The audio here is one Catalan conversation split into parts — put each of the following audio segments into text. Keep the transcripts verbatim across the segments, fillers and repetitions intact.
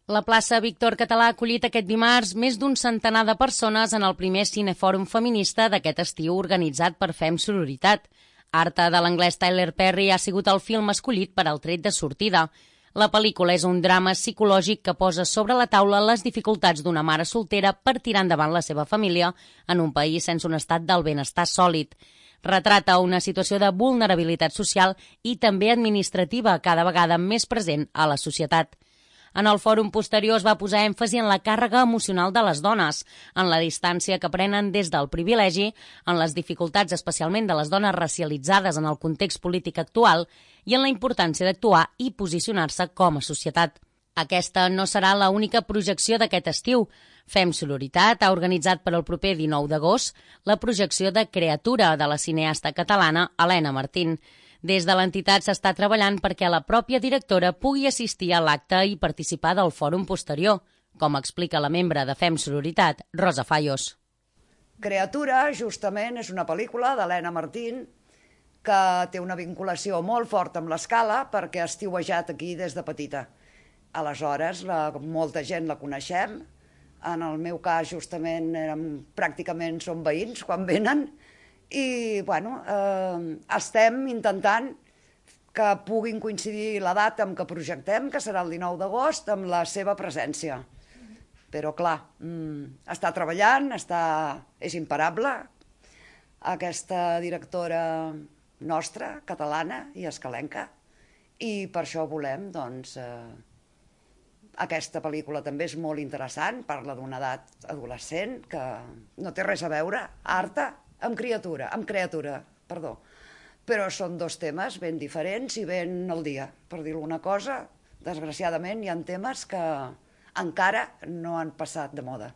La plaça Víctor Català ha acollit aquest dimarts més d'un centenar de persones en el primer cinefòrum feminista d'aquest estiu organitzat per Fem Sororitat. Harta de l'anglès Tyler Perry ha sigut el film escollit per al tret de sortida. La pel·lícula és un drama psicològic que posa sobre la taula les dificultats d'una mare soltera per tirar endavant la seva família en un país sense un estat del benestar sòlid. Retrata una situació de vulnerabilitat social i també administrativa cada vegada més present a la societat. En el fòrum posterior es va posar èmfasi en la càrrega emocional de les dones, en la distància que prenen des del privilegi, en les dificultats especialment de les dones racialitzades en el context polític actual i en la importància d'actuar i posicionar-se com a societat. Aquesta no serà l'única projecció d'aquest estiu. Fem Sororitat ha organitzat per al proper dinou d'agost la projecció de Creatura de la cineasta catalana Elena Martín. Des de l'entitat s'està treballant perquè la pròpia directora pugui assistir a l'acte i participar del fòrum posterior, com explica la membre de Fem Sororitat, Rosa Fallos. Creatura, justament, és una pel·lícula d'Elena Martín que té una vinculació molt forta amb l'Escala perquè ha estiuejat aquí des de petita. Aleshores, la, molta gent la coneixem. En el meu cas, justament, érem, pràcticament som veïns quan venen. I, bueno, eh, estem intentant que puguin coincidir la data amb què projectem, que serà el dinou d'agost, amb la seva presència. Però, clar, mm, està treballant, està, és imparable, aquesta directora nostra, catalana i escalenca, i per això volem, doncs, eh, aquesta pel·lícula també és molt interessant, parla d'una edat adolescent que no té res a veure, Harta, amb criatura, amb creatura, perdó. Però són dos temes ben diferents i ben al dia. Per dir alguna cosa, desgraciadament hi ha temes que encara no han passat de moda.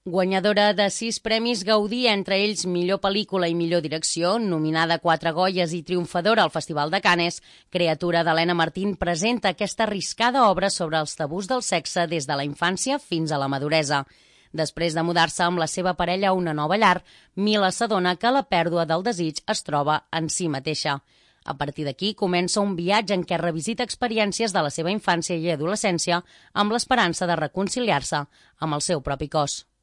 Guanyadora de sis premis Gaudí, entre ells millor pel·lícula i millor direcció, nominada a quatre Goyes i triomfadora al Festival de Canes, Creatura d'Elena Martín presenta aquesta arriscada obra sobre els tabús del sexe des de la infància fins a la maduresa. Després de mudar-se amb la seva parella a una nova llar, Mila s'adona que la pèrdua del desig es troba en si mateixa. A partir d'aquí comença un viatge en què revisita experiències de la seva infància i adolescència amb l'esperança de reconciliar-se amb el seu propi cos.